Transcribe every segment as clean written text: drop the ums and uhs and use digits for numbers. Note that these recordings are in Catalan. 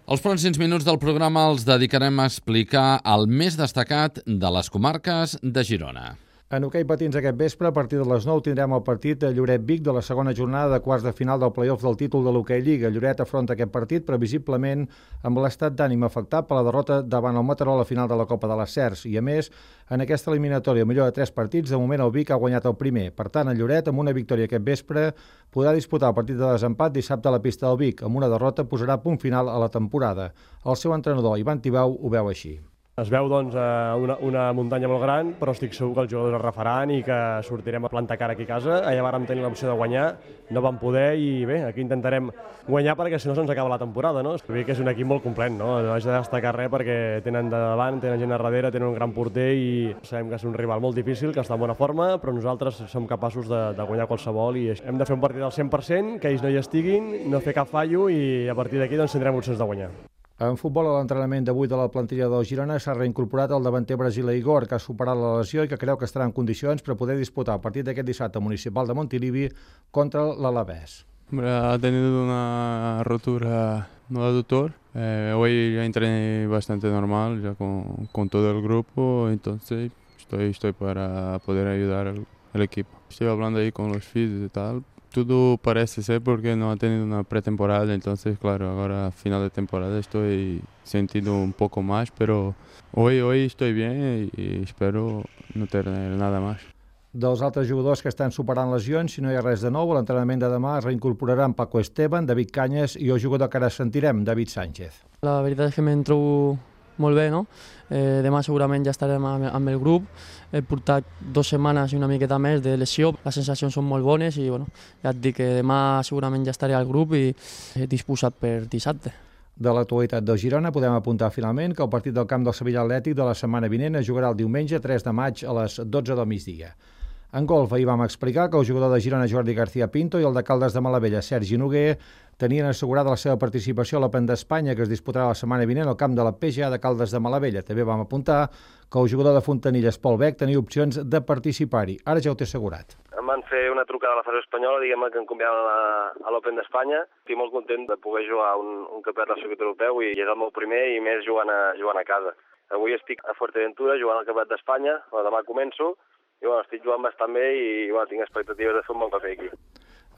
Els pròxims minuts del programa els dedicarem a explicar el més destacat de les comarques de Girona. En hoquei patins aquest vespre, a partir de les 9, tindrem el partit de Lloret-Vic de la segona jornada de quarts de final del play-off del títol de l'hoquei Lliga. Lloret afronta aquest partit previsiblement amb l'estat d'ànim afectat per la derrota davant el Mataró a la final de la Copa de les Cercs. I a més, en aquesta eliminatòria millor de 3 partits, de moment el Vic ha guanyat el primer. Per tant, el Lloret, amb una victòria aquest vespre, podrà disputar el partit de desempat dissabte a la pista del Vic. Amb una derrota posarà punt final a la temporada. El seu entrenador, Ivan Tibau, ho veu així. Es veu una muntanya molt gran, però estic segur que els jugadors es refaran i que sortirem a plantar cara aquí a casa. Allà vàrem tenir l'opció de guanyar, no vam poder i bé, aquí intentarem guanyar perquè si no se'ns acaba la temporada, no? Vull dir que és un equip molt complet, no? No haig de destacar res perquè tenen de davant, tenen gent a darrere, tenen un gran porter i sabem que és un rival molt difícil, que està en bona forma, però nosaltres som capaços de guanyar qualsevol i hem de fer un partit al 100%, que ells no hi estiguin, no fer cap fallo i a partir d'aquí doncs tindrem opcions de guanyar. En futbol, a l'entrenament d'avui de la plantilla del Girona s'ha reincorporat el davanter brasiler Igor, que ha superat la lesió i que creu que estarà en condicions per poder disputar el partit d'aquest dissabte municipal de Montilivi contra l'Alavés. Ha tenido una rotura no aductor. Hoy ya entrené bastante normal ya con todo el grupo, entonces estoy para poder ayudar al equipo. Estoy hablando ahí con los fisios y tal. Todo parece ser porque no ha tenido una pretemporada, entonces claro, ahora a final de temporada estoy sentindo un poco más, pero hoy estoy bien y espero no tener nada más. Dels altres jugadors que estan superant lesions, si no hi ha res de nou, a l'entrenament de demà es reincorporaran Paco Esteban, David Canyes i el jugador que ara sentirem, David Sánchez. La veritat és que me'n trobo molt bé, no? Demà segurament ja estarem amb el grup. He portat 2 setmanes i una miqueta més de lesió. Les sensacions són molt bones i bueno, ja et dic que demà segurament ja estaré al grup i disposat per dissabte. De l'actualitat del Girona podem apuntar finalment que el partit del camp del Sevilla Atlètic de la setmana vinent es jugarà el diumenge 3 de maig a les 12 del migdia. En golf, ahir vam explicar que el jugador de Girona Jordi García Pinto i el de Caldes de Malavella Sergi Noguer tenien assegurada la seva participació a l'Open d'Espanya que es disputarà la setmana vinent al camp de la PGA de Caldes de Malavella. També vam apuntar que el jugador de Fontanilles Pol Bec tenia opcions de participar-hi. Ara ja ho té assegurat. Em van fer una trucada a la Federació Espanyola, diguem-ne que em convidaven a l'Open d'Espanya. Estic molt content de poder jugar un campionat del circuit europeu i és el meu primer i més jugant a casa. Avui estic a Fuerteventura jugant al campionat d'Espanya, demà començo. I estic jugant bastant bé i tinc expectatives de fer un bon paper aquí.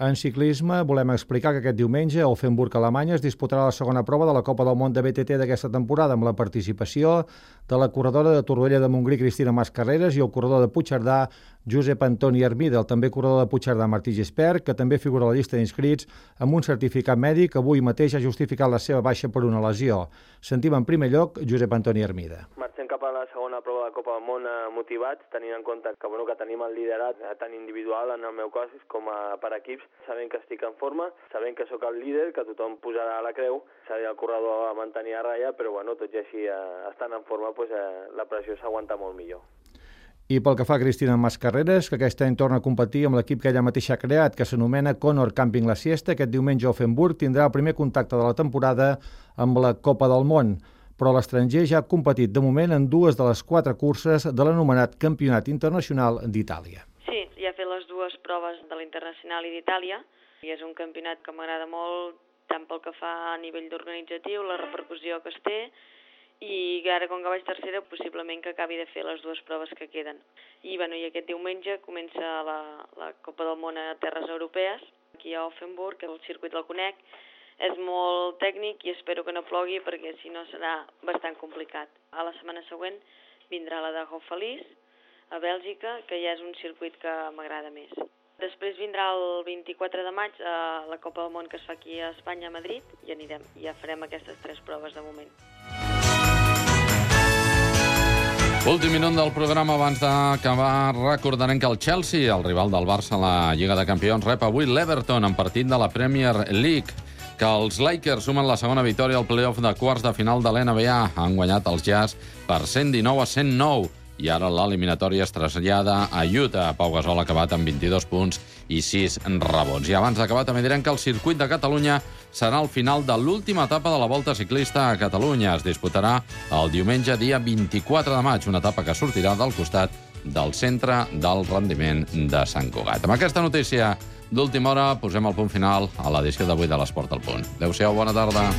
En ciclisme, volem explicar que aquest diumenge a Offenburg, Alemanya, es disputarà la segona prova de la Copa del Món de BTT d'aquesta temporada amb la participació de la corredora de Torroella de Montgrí, Cristina Mascarreras, i el corredor de Puigcerdà, Josep Antoni Hermida, el també corredor de Puigcerdà, Martí Gispert, que també figura a la llista d'inscrits amb un certificat mèdic, avui mateix ha justificat la seva baixa per una lesió. Sentim en primer lloc Josep Antoni Hermida. Marxem cap a la segona prova de Copa del Món motivats, tenint en compte que tenim el liderat tant individual en el meu cas com per equips. Sabem que estic en forma, sabem que sóc el líder, que tothom posarà a la creu, seré el corredor a mantenir a ratlla, però tot i així, estant en forma, la pressió s'aguanta molt millor. I pel que fa a Cristina Mascarreras, que aquest any torna a competir amb l'equip que ella mateixa ha creat, que s'anomena Conor Camping La Siesta, aquest diumenge a Offenburg tindrà el primer contacte de la temporada amb la Copa del Món. Però l'estranger ja ha competit de moment en 2 de les 4 curses de l'anomenat Campionat Internacional d'Itàlia. Sí, ja he fet les 2 proves de l'Internacional i d'Itàlia i és un campionat que m'agrada molt tant pel que fa a nivell organitzatiu, la repercussió que es té i ara com que vaig tercera possiblement que acabi de fer les 2 proves que queden. I aquest diumenge comença la Copa del Món a terres europees, aquí a Offenburg, que el circuit el conec. És molt tècnic i espero que no plogui perquè si no serà bastant complicat. A la setmana següent vindrà la de Houffalize, a Bèlgica, que ja és un circuit que m'agrada més. Després vindrà el 24 de maig a la Copa del Món que es fa aquí a Espanya, a Madrid, i anirem. Ja farem aquestes 3 proves de moment. Últim minut del programa abans d'acabar. Recordarem que el Chelsea, el rival del Barça a la Lliga de Campions, rep avui l'Everton en partit de la Premier League. Que els Lakers sumen la segona victòria al play-off de quarts de final de l'NBA. Han guanyat els Jazz per 119-109. I ara l'eliminatòria es trasllada a Utah. Pau Gasol ha acabat amb 22 punts i 6 rebots. I abans d'acabar també direm que el circuit de Catalunya serà el final de l'última etapa de la Volta Ciclista a Catalunya. Es disputarà el diumenge dia 24 de maig, una etapa que sortirà del costat del Centre del Rendiment de Sant Cugat. Amb aquesta notícia d'última hora posem el punt final a l'edició d'avui de l'Esport al Punt. Adéu-siau, bona tarda.